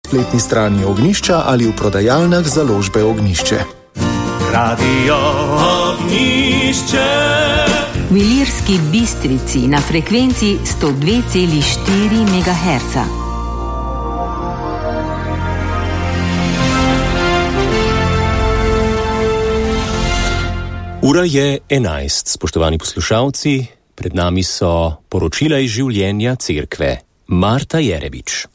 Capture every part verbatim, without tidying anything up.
spletni strani Ognjišča ali v prodajalnah založbe Ognjišče. Radio Ognjišče. V Ilirski Bistrici na frekvenci sto dve celih štiri megaherca. Ura je enajst, spoštovani poslušalci, pred nami so poročila iz življenja cerkve. Marta Jerebič.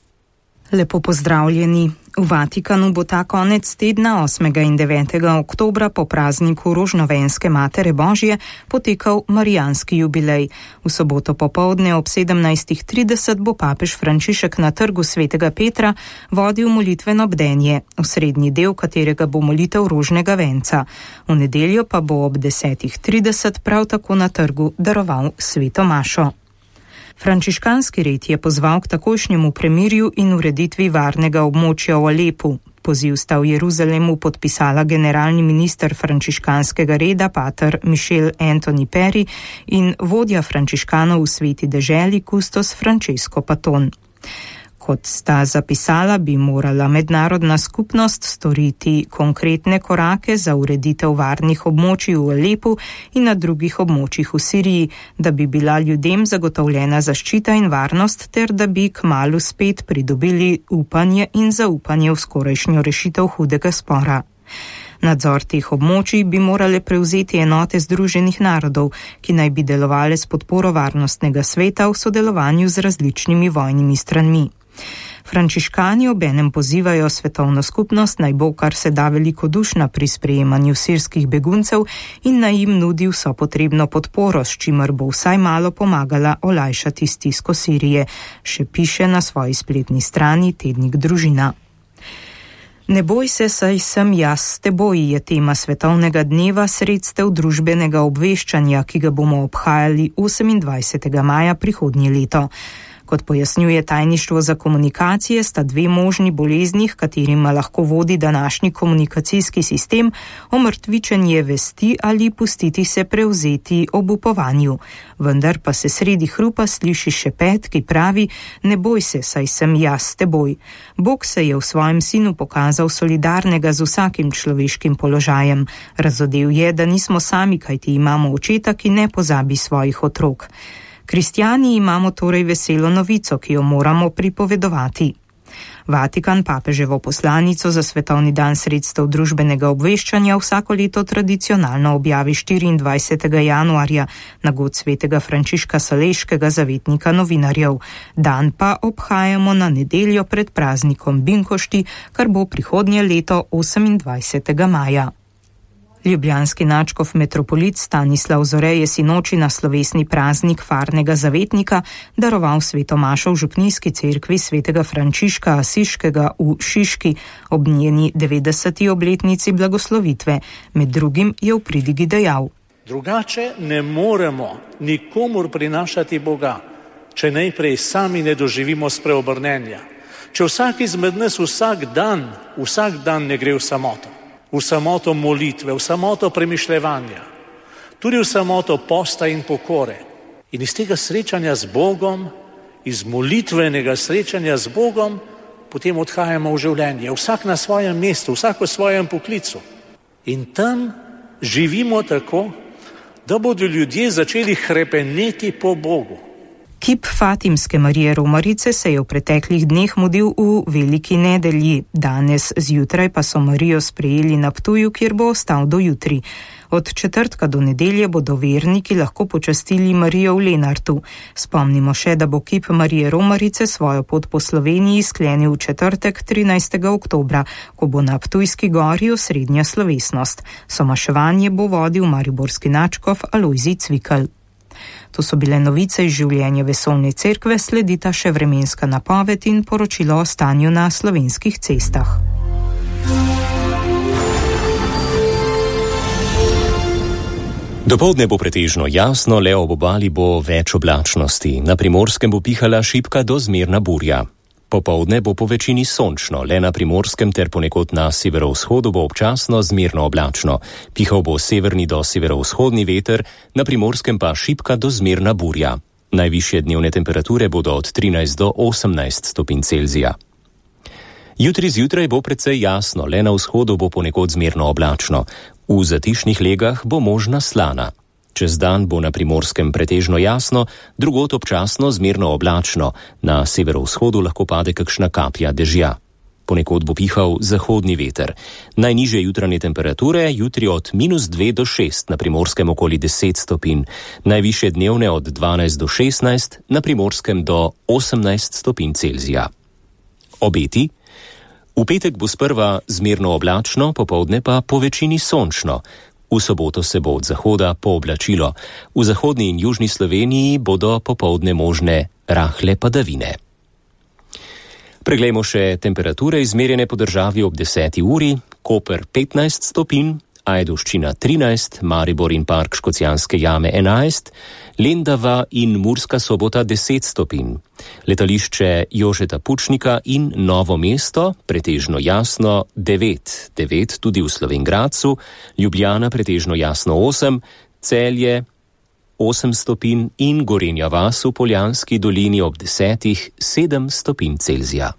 Lepo pozdravljeni. V Vatikanu bo ta konec tedna osmega in devetega oktobra po prazniku Rožnovenske Matere Božje potekal marijanski jubilej. V soboto popoldne ob sedemnajstih trideset bo papež Frančišek na trgu svetega Petra vodil molitveno bdenje, osrednji del katerega bo molitev rožnega venca. V nedeljo pa bo ob desetih trideset prav tako na trgu daroval sveto mašo. Frančiškanski red je pozval k takojšnjemu premirju in ureditvi varnega območja v Alepu. Poziv sta v Jeruzalemu podpisala generalni minister frančiškanskega reda pater Michel Anthony Perry in vodja frančiškanov v sveti deželi kustos Francesco Paton. Kot sta zapisala, bi morala mednarodna skupnost storiti konkretne korake za ureditev varnih območij v Alepu in na drugih območjih v Siriji, da bi bila ljudem zagotovljena zaščita in varnost ter da bi kmalu spet pridobili upanje in zaupanje v skorajšnjo rešitev hudega spora. Nadzor teh območij bi morale prevzeti enote Združenih narodov, ki naj bi delovale s podporo Varnostnega sveta v sodelovanju z različnimi vojnimi stranmi. Frančiškani obenem pozivajo svetovno skupnost naj bo kar se da velikodušna pri sprejemanju sirskih beguncev in naj jim nudi vso potrebno podporo, s čimer bo vsaj malo pomagala olajšati stisko Sirije, še piše na svoji spletni strani tednik Družina. Ne boj se, saj sem jaz s teboj je tema svetovnega dneva sredstev družbenega obveščanja, ki ga bomo obhajali osemindvajsetega maja prihodnje leto. Kot pojasnjuje tajništvo za komunikacije, sta dve možni bolezni, katerima lahko vodi današnji komunikacijski sistem, omrtvičenje vesti ali pustiti se prevzeti ob upovanju. Vendar pa se sredi hrupa sliši šepet, ki pravi: ne boj se, saj sem jaz s teboj. Bog se je v svojem sinu pokazal solidarnega z vsakim človeškim položajem. Razodel je, da nismo sami, kajti imamo očeta, ki ne pozabi svojih otrok. Kristjani imamo torej veselo novico, ki jo moramo pripovedovati. Vatikan papeževo poslanico za svetovni dan sredstev družbenega obveščanja vsako leto tradicionalno objavi štiriindvajsetega januarja na god svetega Frančiška Saleškega, zavetnika novinarjev. Dan pa obhajamo na nedeljo pred praznikom Binkošti, kar bo prihodnje leto osemindvajsetega maja. Ljubljanski nadškof metropolit Stanislav Zore je sinoči na slovesni praznik farnega zavetnika daroval sveto mašo v župnijski cerkvi svetega Frančiška Asiškega v Šiški ob njeni devetdeseti obletnici blagoslovitve. Med drugim je v pridigi dejal: drugače ne moremo nikomur prinašati Boga, če najprej sami ne doživimo spreobrnenja. Če vsak izmed nas vsak dan, vsak dan ne gre v samoto. V samoto molitve, v samoto premišljevanja, tudi v samoto posta in pokore. In iz tega srečanja z Bogom, iz molitvenega srečanja z Bogom, potem odhajamo v življenje, vsak na svojem mestu, vsak v svojem poklicu. In tam živimo tako, da bodo ljudje začeli hrepeneti po Bogu. Kip Fatimske Marije Romarice se je v preteklih dneh mudil v Veliki nedelji. Danes zjutraj pa so Marijo sprejeli na Ptuju, kjer bo ostal do jutri. Od četrtka do nedelje bodo verniki lahko počastili Marijo v Lenartu. Spomnimo še, da bo kip Marije Romarice svojo pot po Sloveniji sklenil v četrtek trinajstega oktobra, ko bo na Ptujski gori osrednja slovesnost. Somaševanje bo vodil mariborski nadškof Alojzij Cvikl. To so bile novice iz življenja vesoljne cerkve, sledita še vremenska napoved in poročilo o stanju na slovenskih cestah. Dopoldne bo pretežno jasno, le ob obali bo več oblačnosti. Na Primorskem bo pihala šibka do zmerna burja. Popoldne bo po večini sončno, le na Primorskem ter ponekod na severovzhodu bo občasno zmerno oblačno. Pihal bo severni do severovzhodni veter, na Primorskem pa šibka do zmerna burja. Najvišje dnevne temperature bodo od trinajst do osemnajst stopinj Celzija. Jutri zjutraj bo precej jasno, le na vzhodu bo ponekod zmerno oblačno. V zatišnih legah bo možna slana. Čez dan bo na Primorskem pretežno jasno, drugod občasno zmerno oblačno, na severovzhodu lahko pade kakšna kaplja dežja. Ponekod bo pihal zahodni veter. Najnižje jutranje temperature jutri od minus dve do šest, na Primorskem okoli deset stopinj, najvišje dnevne od dvanajst do šestnajst, na Primorskem do osemnajst stopinj Celzija. Obeti? V petek bo sprva zmerno oblačno, popoldne pa po večini sončno. V soboto se bo od zahoda pooblačilo. V zahodni in južni Sloveniji bodo popoldne možne rahle padavine. Preglejmo še temperature izmerjene po državi ob deseti uri. Koper petnajst stopinj, Ajdovščina trinajst, Maribor in Park Škocjanske jame enajst, Lendava in Murska Sobota deset stopinj. Letališče Jožeta Pučnika in Novo mesto, pretežno jasno devet, devet tudi v Slovenj Gradcu, Ljubljana pretežno jasno osem, Celje osem stopinj in Gorenja vas v Poljanski dolini ob desetih sedem stopinj Celzija.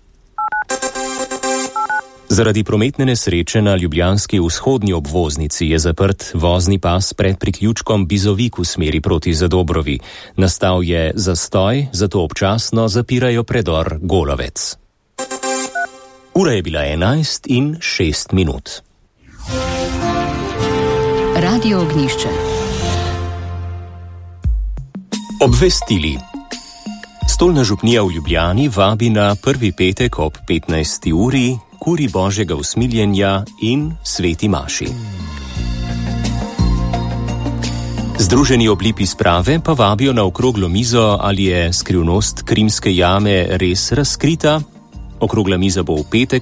Zaradi prometne nesreče na ljubljanski vzhodni obvoznici je zaprt vozni pas pred priključkom Bizovik v smeri proti Zadobrovi. Nastal je zastoj, zato občasno zapirajo predor Golovec. Ura je bila enajst in šest minut. Radio Ognjišče. Obvestili. Stolna župnija v Ljubljani vabi na prvi petek ob petnajsti uri kuri Božjega usmiljenja in sveti maši. Združeni oblipi sprave pa vabijo na okroglo mizo, ali je skrivnost Krimske jame res razkrita. Okrogla miza bo v petek,